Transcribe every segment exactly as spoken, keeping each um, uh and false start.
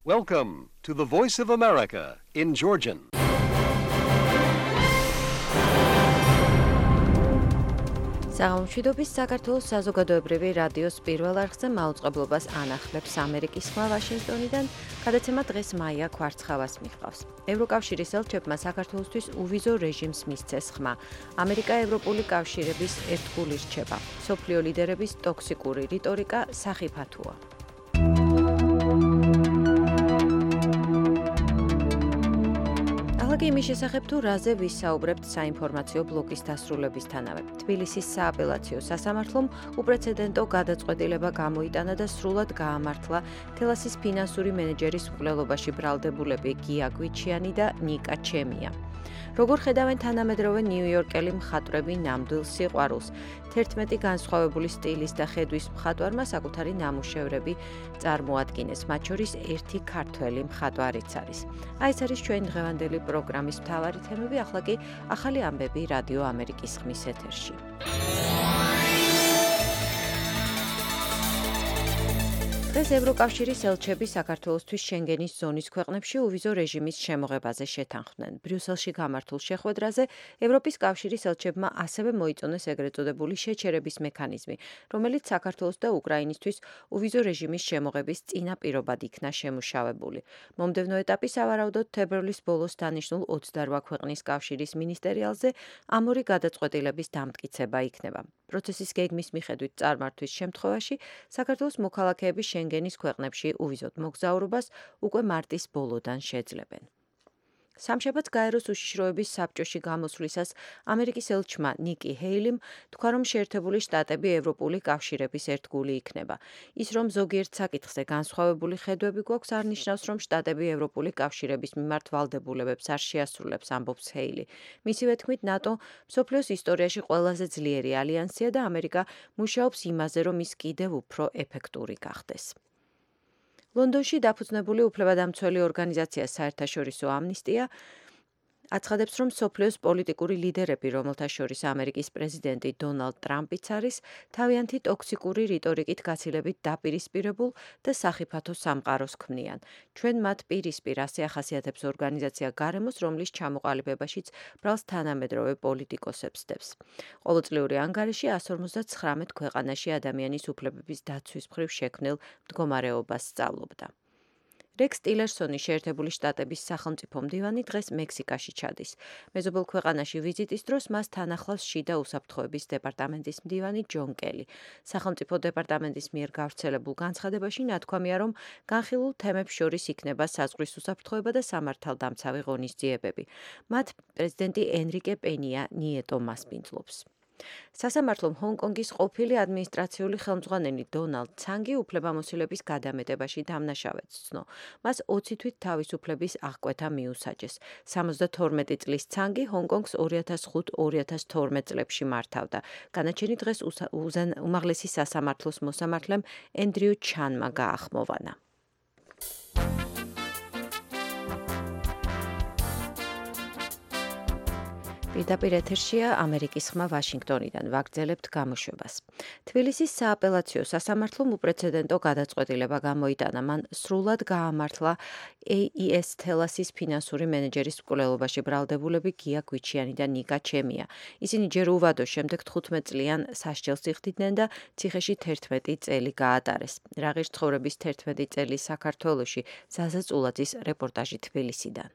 Welcome to the Voice of America in Georgian. საღამოშვიდობის საქართველოს საზოგადოებრივი რადიოს პირველ არხზე მაუწყებლობას ანახლებს ამერიკის ხმა ვაშინგტონიდან, გადაცემა დღეს მაია ქვარცხავას მიჰყავს. ევროკავშირის ელჩებმა საქართველოსთვის უვიზო რეჟიმს მისცეს ხმა. ამერიკა ევროპული კავშირების ერთგული რჩება. მსოფლიო ლიდერების ტოქსიკური რიტორიკა სახიფათოა. ახლა იმის შესახებ თუ რაზე ვისაუბრებთ საინფორმაციო ბლოკის დასრულებისთანავე. თბილისის სააპელაციო სასამართლომ უპრეცედენტო გადაწყვეტილება გამოიტანა და სრულად გაამართლა თელასის ფინანსური მენეჯერის მკვლელობაში ბრალდებულები გია გვიჩიანი და ნიკა ჩემია. როგორ ხედავენ თანამედროვე ნიუ-იორკელი მხატვრები ნამდვილ სიყვარულს? თერთმეტი განსხვავებული სტილის და ხედვის მხატვარმა საკუთარი ნამუშევრები წარმოადგინეს, მათ შორის ერთი ქართველი მხატვარიც არის. აი ეს არის ჩვენი დღევანდელი პროგრამის მთავარი თემები, ახლა კი ახალი ამბები რადიო ამერიკის ხმის ეთერში. დღეს ევროკავშირის ელჩები საქართველოსთვის შენგენის ზონის ქვეყნებში უვიზო რეჟიმის შემოღებაზე შეთანხმდნენ. ბრიუსელში გამართულ შეხვედრაზე ევროპის კავშირის ელჩებმა ასევე მოიწონეს ეგრეთ წოდებული შეჩერების მექანიზმი, რომელიც საქართველოს და უკრაინისთვის უვიზო რეჟიმის შემოღების წინაპირობად იქნა შემუშავებული. მომდევნო ეტაპი სავარაუდოდ თებერვლის ბოლოს დანიშნულ ოცდარვა ქვეყნის კავშირის მინისტერიალზე ამ ორი გადაწყვეტილების დამტკიცება იქნება. პროცესის გეგმის მიხედვით წარმართვის შემთხვევაში საქართველოს მოქალაქეები შენგენის ქვეყნებში უვიზოდ მოგზაურობას უკვე მარტის ბოლოდან შეძლებენ. სამშაბათს გაეროს უშიშროების საბჭოში გამოსვლისას ამერიკის ელჩმა ნიკი ჰეილიმ თქვა, რომ შეერთებული შტატები ევროპული კავშირების ერთგული იქნება. ის, რომ ზოგიერთ საკითხზე განსხვავებული ხედვები გვაქვს, არ ნიშნავს, რომ შტატები ევროპული კავშირების მიმართ ვალდებულებებს არ შეასრულებს, ამბობს ჰეილი. მისივე თქმით, ნატო მსოფლიოს ისტორიაში ყველაზე ძლიერი ალიანსია და ამერიკა მუშაობს იმაზე, რომ ის კიდევ უფრო ეფექტური გახდეს. ლონდონში დაფუძნებული უფლებადამცველი ორგანიზაცია საერთაშორისო ამნისტია აცხადებს, რომ მსოფლიოს პოლიტიკური ლიდერები, რომელთა შორის ამერიკის პრეზიდენტი დონალდ ტრამპიც არის, თავიანთი ტოქსიკური რიტორიკით გაცილებით დაპირისპირებულ და სახიფათო სამყაროს ქმნიან. ჩვენ მათ პირისპირ ასე ახასიათებს ორგანიზაცია გარემოს, რომლის ჩამოყალიბებაშიც ბრალს თანამედროვე პოლიტიკოსებს დებს. ყოველწლიური ანგარიში εκατს ორმოცდაცხრამეტ ქვეყანაში ადამიანის უფლებების დაცვის მხრივ შექმნილ მდგომარეობას სწავლობდა. რექს ტილერსონი შეერთებული შტატების სახელმწიფო მდივანი დღეს მექსიკაში ჩადის. მეზობელ ქვეყანაში ვიზიტის დროს მას თან ახლავს შიდა უსაფრთხოების დეპარტამენტის მდივანი ჯონ კელი. სახელმწიფო დეპარტამენტის მიერ გავრცელებულ განცხადებაში ნათქვამია, რომ განხილულ თემებს შორის იქნება საზღვრის უსაფრთხოება და სამართალდამცავი ღონისძიებები. მათ პრეზიდენტი ენრიკე პენია ნიეტო მასპინძლობს. სასამართლომ ჰონკონგის ყოფილი ადმინისტრაციული ხელმძღვანელი დონალდ ცანგი უფლებამოსილების გადამეტებაში დამნაშავედ ცნო. მას ოცი თვით თავისუფლების აღკვეთა მიუსაჯეს. სამოცდათორმეტი წლის ცანგი ჰონკონგს ორი ათას ხუთი ორი ათას თორმეტ წლებში მართავდა. განაჩენი დღეს უმაღლესი სასამართლოს მოსამართლემ ენდრიუ ჩანმა გაახმოვანა. პირდაპირ ეთერშია ამერიკის ხმა ვაშინგტონიდან, ვაგრძელებთ გამოშვებას. თბილისის სააპელაციო სასამართლომ უპრეცედენტო გადაწყვეტილება გამოიტანა, მან სრულად გაამართლა ეი ი ეს თელასის ფინანსური მენეჯერის მკვლელობაში ბრალდებულები გია გვიჩიანი და ნიკა ჩემია. ისინი ჯერ უვადო, შემდეგ თხუთმეტ წლიან სასჯელს იხდიდნენ და ციხეში თერთმეტი წელი გაატარეს. რა ღირს ცხოვრების თერთმეტი წელი საქართველოში, ზაზა წულაძის რეპორტაჟი თბილისიდან.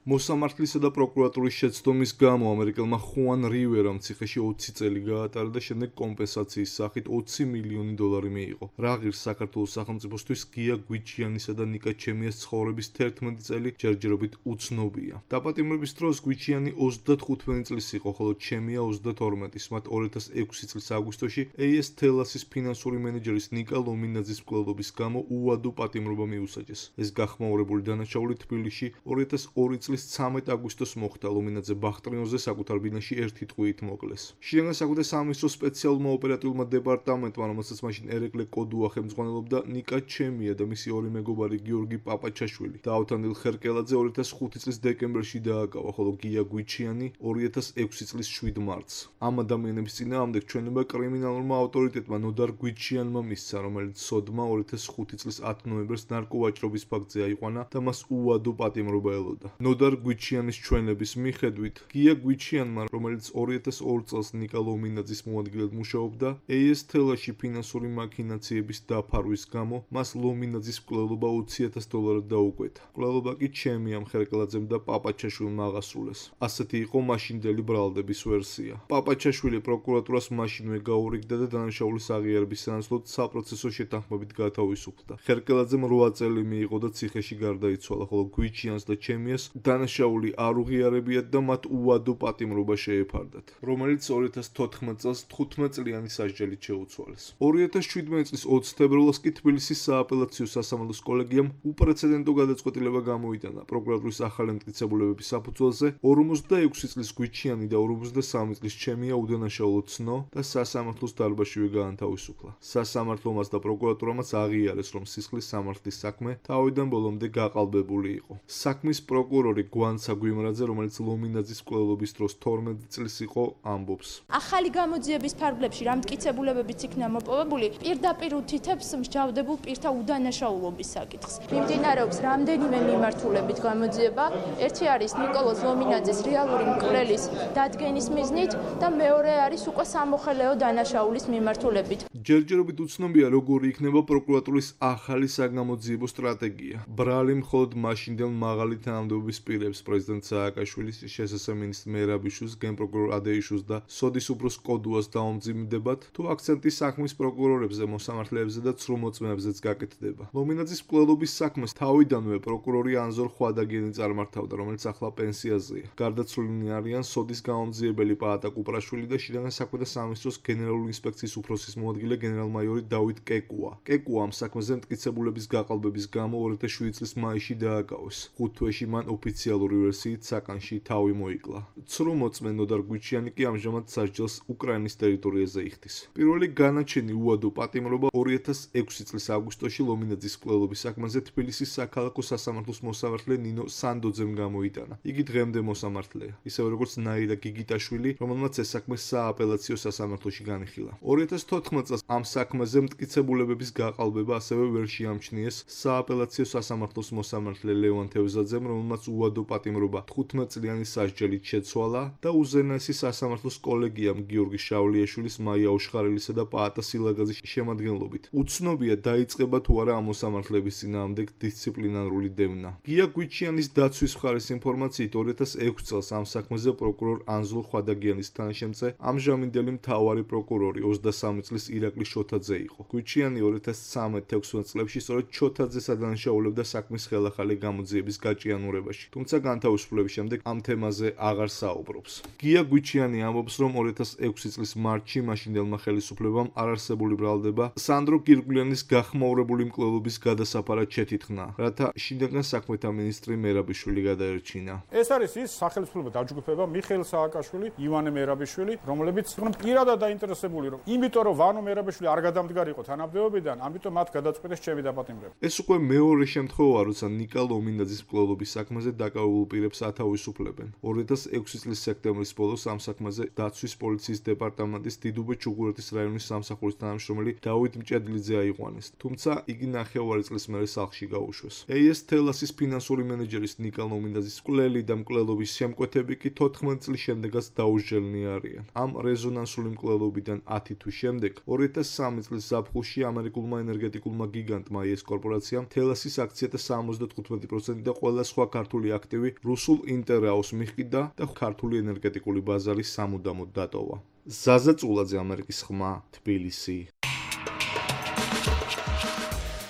მოსამართლისა და პროკურატურის შეცდომის გამო ამერიკელმა ხუან რივერამ ციხეში ოცი წელი გაატარა და შემდეგ კომპენსაციის სახით ოცი მილიონი დოლარი მიიღო. რა ღირს საქართველოს სახელმწიფოსთვის გია გვიჩიანისა და ნიკა ჩემიას ცხოვრების თერთმეტი წელი ჯერჯერობით უცნობია. დაპატიმრების დროს გვიჩიანი ოცდათხუთმეტი წლის იყო, ხოლო ჩემია ოცდათორმეტის. მათ ორი ათას ექვსი წლის აგვისტოში ეი ეს თელასის ფინანსური მენეჯერის ნიკა ლომინაძის მკვლელობის გამო უვადო პატიმრობა მიუსაჯეს. ეს გახმაურებული დანაშაული თბილისში ორი ათას ორი წლის წლის ცამეტ აგვისტოს მოხდა ლომინაძე ბახტრიონზე საკუთარ ბინაში ერთი ტყვიით მოკლეს. შინაგან საქმეთა სამინისტროს სპეციალურმა ოპერატიულმა დეპარტამენტმა, რომელსაც მაშინ ერეკლე კოდუა ხელმძღვანელობდა, ნიკა ჩემია და მისი ორი მეგობარი გიორგი პაპაჩაშვილი დაავთანდილ ხერკელაძე ორი ათას ხუთი წლის დეკემბერში დააკავა, ხოლო გია გვიჩიანი ორი ათას ექვსი წლის შვიდ მარტს. ამ ადამიანების წინააღმდეგ ჩვენება კრიმინალურმა ავტორიტეტმა ნოდარ გვიჩიანმა მისცა, რომელიც სოდმა ორი ათას ხუთი წლის ათი ნოემბერს ნარკოვაჭრობის ფაქტზე აიყვანა და მას უადო პატიმრობა ელოდა. ნოდარ გვიჩიანის ჩვენების მიხედვით, გია გვიჩიანმა, რომელიც ორი ათას ორი წელს ნიკა ლომინაძის მოადგილედ მუშაობდა, ეი ეს თელაში ფინანსური მაქინაციების დაფარვის გამო მას ლომინაძის მკვლელობა ოცი ათას დოლარად დაუკვეთა. მკვლელობა კი ჩემიამ ხერკელაძემ და პაპაჩაშვილმა აღასრულეს. ასეთი იყო მაშინდელი ბრალდების ვერსია. პაპაჩაშვილი პროკურატურას მაშინვე გაურიგდა და დანაშაულის აღიარების სანაცვლოდ საპროცესო შეთანხმებით გათავისუფლდა. ხერკელაძემ რვა წელი მიიღო და ციხეში გარდაიცვალა, ხოლო გვიჩიანს და ჩემიას დანაშაული არ უღიარებიათ და მათ უადო პატიმრობა შეეფარდათ, რომელიც ორი ათას თოთხმეტ წელს თხუთმეტ წლიანი სასჯელით შეუცვალეს. ორი ათას შვიდმეტ წლის ოცი თებერვალს კი თბილისის სააპელაციო სასამართლოს კოლეგიამ უპრეცედენტო გადაწყვეტილება გამოიტანა პროკურატურის ახალი მტკიცებულებების საფუძველზე ორმოცდაექვსი წლის გვიჩიანი და ორმოცდასამი წლის ჩემია უდანაშაულო ცნო და სასამართლოს დარბაზშივე გაანთავისუფლა. სასამართლომაც და პროკურატურამაც აღიარეს, რომ სისხლის სამართლის საქმე თავიდან ბოლომდე გაყალბებული იყო. საქმის პროკურორი გვანცა გვიმრაძე, რომელიც ლომინაძის მკვლელობის დროს თორმეტ წლის იყო, ამბობს. ახალი გამოძიების ფარგლებში რა მტკიცებულებებიც იქნა მოპოვებული, პირდაპირ უთითებს მსჯავრდებულ პირთა უდანაშაულობის საკითხს. მიმდინარეობს რამდენიმე მიმართულებით გამოძიება. ერთი არის ნიკოლოზ ლომინაძის რეალური მკვლელის დადგენის მიზნით და მეორე არის უკვე სამოხელეო დანაშაულის მიმართულებით. ჯერჯერობით უცნობია, როგორი იქნება პროკურატურის ახალი საგამოძიებო სტრატეგია. ბრალი მხოლოდ მაშინდელ მაღალი თანამდებობის პირებს, პრეზიდენტ სააკაშვილის, შესაბამისად მინისტრ მერაბიშვილს, გენპროკურორ ადეიშვილს და სოდის უფროს კოდუას დაუმძიმდებათ, თუ აქცენტი საქმის პროკურორებზე, მოსამართლეებზე და ცრუმოწმეებზეც გაკეთდება. ლომინაძის მკვლელობის საქმეს თავიდანვე პროკურორი ანზორ ხვადაგიანი წარმართავდა, რომელიც ახლა პენსიაზეა. გარდაცვლილნი არიან სოდის გამომძიებელი პაატა კუპრაშვილი და შინაგან საქმეთა სამინისტროს გენერალური ინსპექციის უფროსის მოადგილე გენერალ-მაიორი დავით კეკუა. კეკუა ამ საქმეზე მტკიცებულების გაყალბების გამო ორი ათას შვიდი წლის მაისში დააკავეს. ხუთ თვეში მან ოფიციალური ვერსიით საკანში თავი მოიკლა. ცრუმოწმე ნოდარ გვიჩიანი კი ამჟამად სასჯელს უკრაინის ტერიტორიაზე იხდის. პირველი განაჩენი უადო პატიმრობა ორი ათას ექვსი წლის აგვისტოში ლომინაძის მკვლელობის საქმეზე თბილისის საქალაქო სასამართლოს მოსამართლე ნინო სანდოძემ გამოიტანა. იგი დღემდე მოსამართლეა, ისევე როგორც ნაირა გიგიტაშვილი, რომელმაც ეს საქმე სააპელაციო სასამართლოში განიხილა. ორი ათას თოთხმეტ წელს ამ საქმეზე მტკიცებულებების გაყალბება ასევე ვერ შეამჩნიეს სააპელაციო სასამართლოს მოსამართლე ლევან თევზაძემ, რომელმაც უადო პატიმრობა თხუთმეტ წლიანი სასჯელით შეცვალა და უზენაესი სასამართლოს კოლეგიამ გიორგი შავლიაშვილის, მაია ოშხარელისა და პაატა სილაგაძის შემადგენლობით. უცნობია დაიწყება თუ არა ამ მოსამართლეების წინააღმდეგ დისციპლინარული დევნა. გია გვიჩიანის დაცვის მხარის ინფორმაციით ორი ათას ექვსი წელს ამ საქმეზე პროკურორ ანზორ ხვადაგიანის თანაშემწე ამჟამინდელი მთავარი პროკურორი ოცდასამი წლის ირაკლი შოთაძე იყო. გვიჩიანი ორი ათას ცხრამეტ თექვსმეტ წლებში სწორედ შოთაძეს ადანაშაულებდა საქმის ხელახალი გამოძიების გაჭიანურებაში, თუმცა განთავისუფლების შემდეგ ამ თემაზე აღარ საუბრობს. გია გვიჩიანი ამბობს, რომ ორი ათას ექვსი წლის მარტში მაშინდელმა ხელისუფლებამ არარსებული ბრალდება სანდრო გირგვლიანის გახმაურებული მკვლელობის გადასაფარად შეთითხნა, რათა შინაგან საქმეთა მინისტრი მერაბიშვილი გადაერჩინა. ეს არის ის სახელმწიფო დაჯგუფება მიხეილ სააკაშვილი, ივანე მერაბიშვილი, რომლებიც იყვნენ პირადად დაინტერესებული, რომ იმიტომ რომ ვანო მერაბიშვილი არ გადამდგარიყო თანამდებობიდან, ამიტომ მათ გადაწყვეტეს ჩემი დაპატიმრება. ეს უკვე მეორე შემთხვევაა, როცა ნიკა ლომინაძის მკვლელობის საქმეზე დაკავებულ პირებს ათავისუფლებენ. ორი ათას ექვსი წლის სექტემბრის ბოლოს ამ საქმეზე დაცვის პოლიციის დეპარტამენტის დიდუბე-ჩუღურეთის რაიონის სამსახურის თანამშრომელი დავით მჭედლიძე აიყვანეს, თუმცა იგი ნახევარი წლის მერე სახლში გაუშვეს. ეი ეს თელასის ფინანსური მენეჯერის ნიკა ლომინაძის მკვლელი და მკვლელობის შემკვეთები კი თოთხმეტ წლის შემდეგაც დაუსჯელნი არიან. ამ რეზონანსული მკვლელობიდან ათი თვის შემდეგ ორი ათას სამი წლის ზაფხულში ამერიკულმა ენერგეტიკულმა გიგანტმა ეს კორპორაციამ თელასის აქციათა სამოცდათხუთმეტი პროცენტი და ყველა სხვა ქართული აქტივი რუსულ ინტერაოს მიჰყიდა და ქართული ენერგეტიკული ბაზარი სამუდამოდ დატოვა. ზაზა წულაძე, ამერიკის ხმა, თბილისი.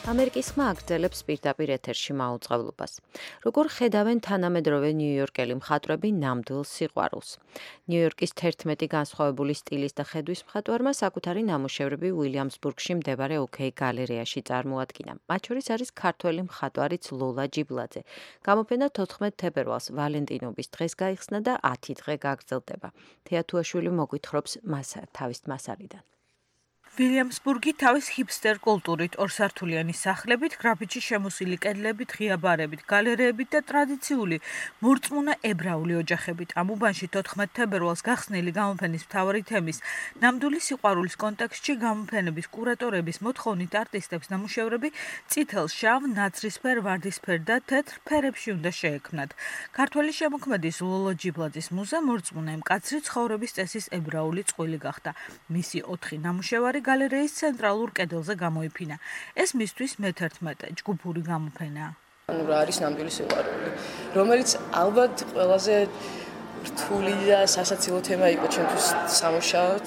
ამერიკის ხმა აგრძელებს პირდაპირ ეთერში მაუწყებლობას. Როგორ ხედავენ თანამედროვე ნიუ-იორკელი მხატვრები ნამდვილ სიყვარულს? ნიუ-იორკის თერთმეტი განსხვავებული სტილის და ხედვის მხატვარმა საკუთარი ნამუშევრები უილიამსბურგში მდებარე ოკეი გალერეაში წარმოადგინა. მათ შორის არის ქართველი მხატვარიც ლოლა ჯიბლაძე. გამოფენა თოთხმეტ თებერვალს ვალენტინობის დღეს გაიხსნა და ათი დღე გაგრძელდება. თეა თუაშვილი მოგვითხრობს თავის მასალიდან. ვილიამსბურგი თავის ჰიპსტერ კულტურით, ორსართულიანი სახლებით, გრაფიტში შემოსილი კედლებით, ღია ბარებით, გალერეებით და ტრადიციული მორწმუნა ებრაული ოჯახებით. ამ უბანში თოთხმეტ თებერვალს გახსნილი გამოფენის მთავარი თემის ნამდვილი სიყვარულის კონტექსტში გამოფენების კურატორების მოთხოვნით არტისტებს ნამუშევრები წითელ, შავ, ნაცრისფერ, ვარდისფერ და თეთრ ფერებში უნდა შეექმნათ. ქართველი შემოქმედის ლოლა ჯიბლაძის მუზა მორწმუნა მკაცრი ცხოვრების წესის ებრაული წყვილი გახდა. მისი ოთხი ნამუშევარი გალერეის ცენტრალურ კედელზე გამოიფინა. ეს მისთვის მეთერთმეტე ჯგუფური გამოფენაა. ანუ რა არის ნამდვილი სიყვარული, რომელიც ალბათ ყველაზე რთული და სასაცილო თემა იყო ჩემთვის სამუშაოდ.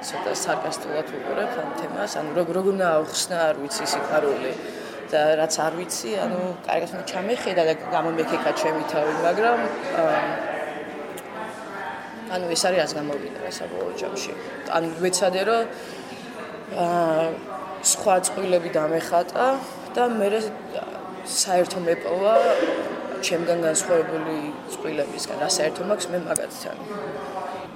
ცოტა სარკასტულად ვუყურებ ამ თემას, ანუ როგორ უნდა ავხსნა, არ ვიცი სიყვარული და რაც არ ვიცი, ანუ კარგად უნდა ჩამეხედა და გამომექეკა ჩემი თავი, მაგრამ ანუ ეს არის რაც გამოვიდა საბოლოო ჯამში. ანუ ვეცადე რომ აა სხვა წყვილები დამეხატა და მე საერთო მეპოვა ჩემგან განსხვავებული წყვილებისგან. რა საერთო მაქვს მე მაგათთან.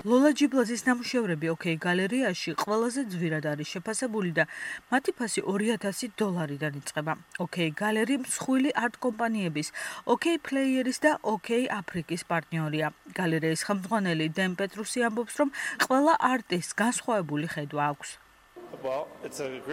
ლოლა ჯიბლაძის ნამუშევრები ოკეი გალერეაში ყველაზე ძვირად არის შეფასებული და მათი ფასი ორი ათასი დოლარიდან იწყება. ოკეი გალერი მსხვილი არტ კომპანიების, ოკეი პლეიერის და ოკეი აფრიკის პარტნიორია. გალერეის ხელმძღვანელი დენ პეტრუსი ამბობს, რომ ყველა არტისტს განსხვავებული ხედვა აქვს.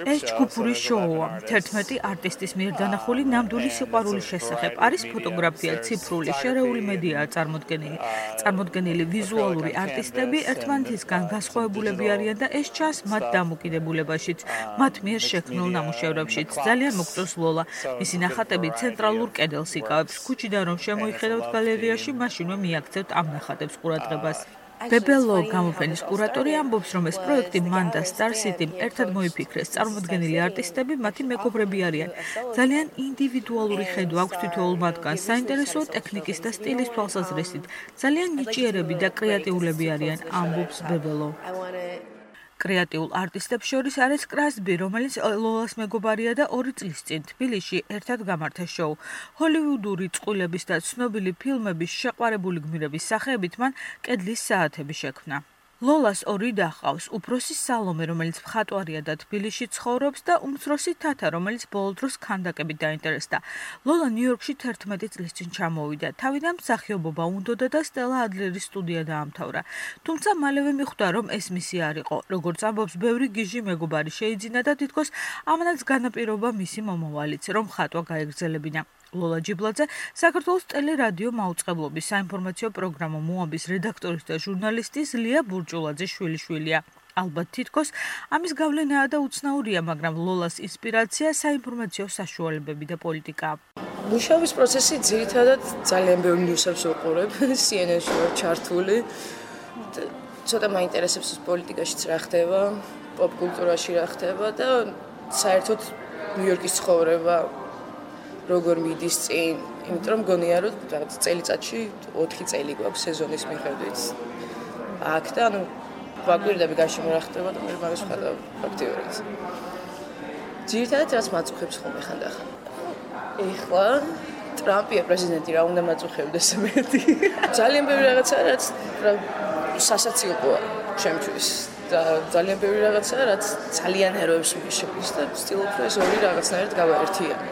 ეს ჯგუფური შოუა. თერთმეტი არტისტის მიერ დანახული ნამდვილი სიყვარულის შესახებ. არის ფოტოგრაფია, ციფრული, შერეული მედიაა წარმოდგენილი. წარმოდგენილი ვიზუალური არტისტები ერთმანეთისგან განსხვავებულები არიან და ეს ჩანს მათ დამოკიდებულებაშიც, მათ მიერ შექმნილ ნამუშევრებშიც. ძალიან მოგწონს ლოლა. მისი ნახატები ცენტრალურ კედელს იკავებს. ქუჩიდან რომ შემოიხედავთ გალერეაში, მაშინვე მიაქცევთ ამ ნახატებს ყურადღებას. ბებელო გამოფენის კურატორი ამბობს, რომ ეს პროექტი მან და Star City-მ ერთად მოიფიქრეს. წარმოდგენილი არტისტები მათი მეგობრები არიან. ძალიან ინდივიდუალური ხედვა აქვს თითოეულ მათგანს, საინტერესოა ტექნიკის და სტილის თვალსაზრისით. ძალიან ნიჭიერები და კრეატიულები არიან, ამბობს ბებელო. კრეატიულ არტისტებს შორის არის კრასბი, რომელიც ლოლას მეგობარია და ორი წლის წინ თბილისში ერთად გამართა შოუ. ჰოლივუდური წყვილების და ცნობილი ფილმების შეყვარებული გმირების სახეებით მან კედლის საათები შექმნა. ლოლას ორი და ჰყავს, უფროსი სალომე, რომელიც მხატვარია და თბილისში ცხოვრობს და უმცროსი თათა, რომელიც ბოლო დროს ქანდაკებით დაინტერესდა. ლოლა ნიუ-იორკში თერთმეტი წლის წინ ჩამოვიდა. თავიდან მსახიობობა უნდოდა და სტელა ადლერის სტუდია დაამთავრა. თუმცა მალევე მიხვდა, რომ ეს მისი არ იყო. როგორც ამბობს, ბევრი გიჟი მეგობარი შეიძინა და თითქოს ამანაც განაპირობა მისი მომავალიც, რომ ხატვა გაეგრძელებინა. ლოლა ჯიბლაძე საქართველოს ტელერადიო მაუწყებლობის საინფორმაციო პროგრამა მოამბის რედაქტორის და ჟურნალისტის ლია ბურჭულაძის შვილიშვილია. ალბათ თითქოს ამის გავლენაა და უცნაურია, მაგრამ ლოლას ინსპირაცია საინფორმაციო საშუალებები და პოლიტიკაა. მუშაობის პროცესი ძირითადად ძალიან ბევრი ნიუსებს ვუყურებ, C N N-ში ვარ ჩართული. ცოტა მაინტერესებს პოლიტიკაშიც რა ხდება, პოპ კულტურაში რა ხდება და საერთოდ ნიუ-იორკის ცხოვრება როგორ მიდის წინ, იმიტომ რომ გონია რომ რაღაც წელიწადში ოთხი წელი გვაქვს სეზონის მიხედვით. აქ და ანუ ვაკვირდები გარშემო რა ხდება და მე მაგას ვხედავ აქტიურად. ძირითადად რაც მაწუხებს ხოლმე ხანდახან. ეხლა ტრამპია პრეზიდენტი, რა უნდა მაწუხებდეს მეტი. ძალიან ბევრი რაღაცა რაც სასაცილოა ჩემთვის და ძალიან ბევრი რაღაცა რაც ძალიან ეროებს მიშეფის და ვცდილობ რომ ეს ორი რაღაცნაირად გავაერთიანო.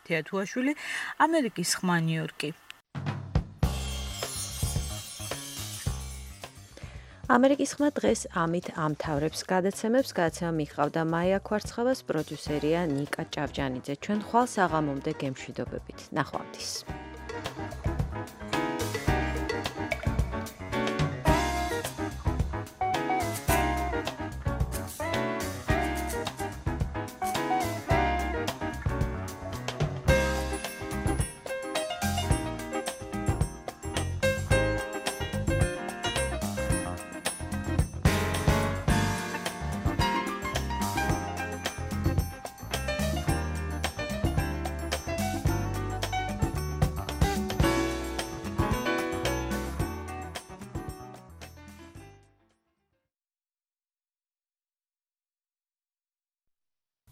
თეა თუაშვილი, ამერიკის ხმა, ნიუ-იორკი. ამერიკის ხმა დღეს ამით ამთავრებს გადაცემებს. გადაცემა მიჰყავდა მაია ქვარცხავას, პროდიუსერია ნიკა ჭავჭანიძე. ჩვენ ხვალ საღამომდე გემშვიდობებით. ნახვამდის.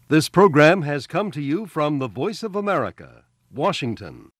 This program has come to you from the Voice of America, Washington.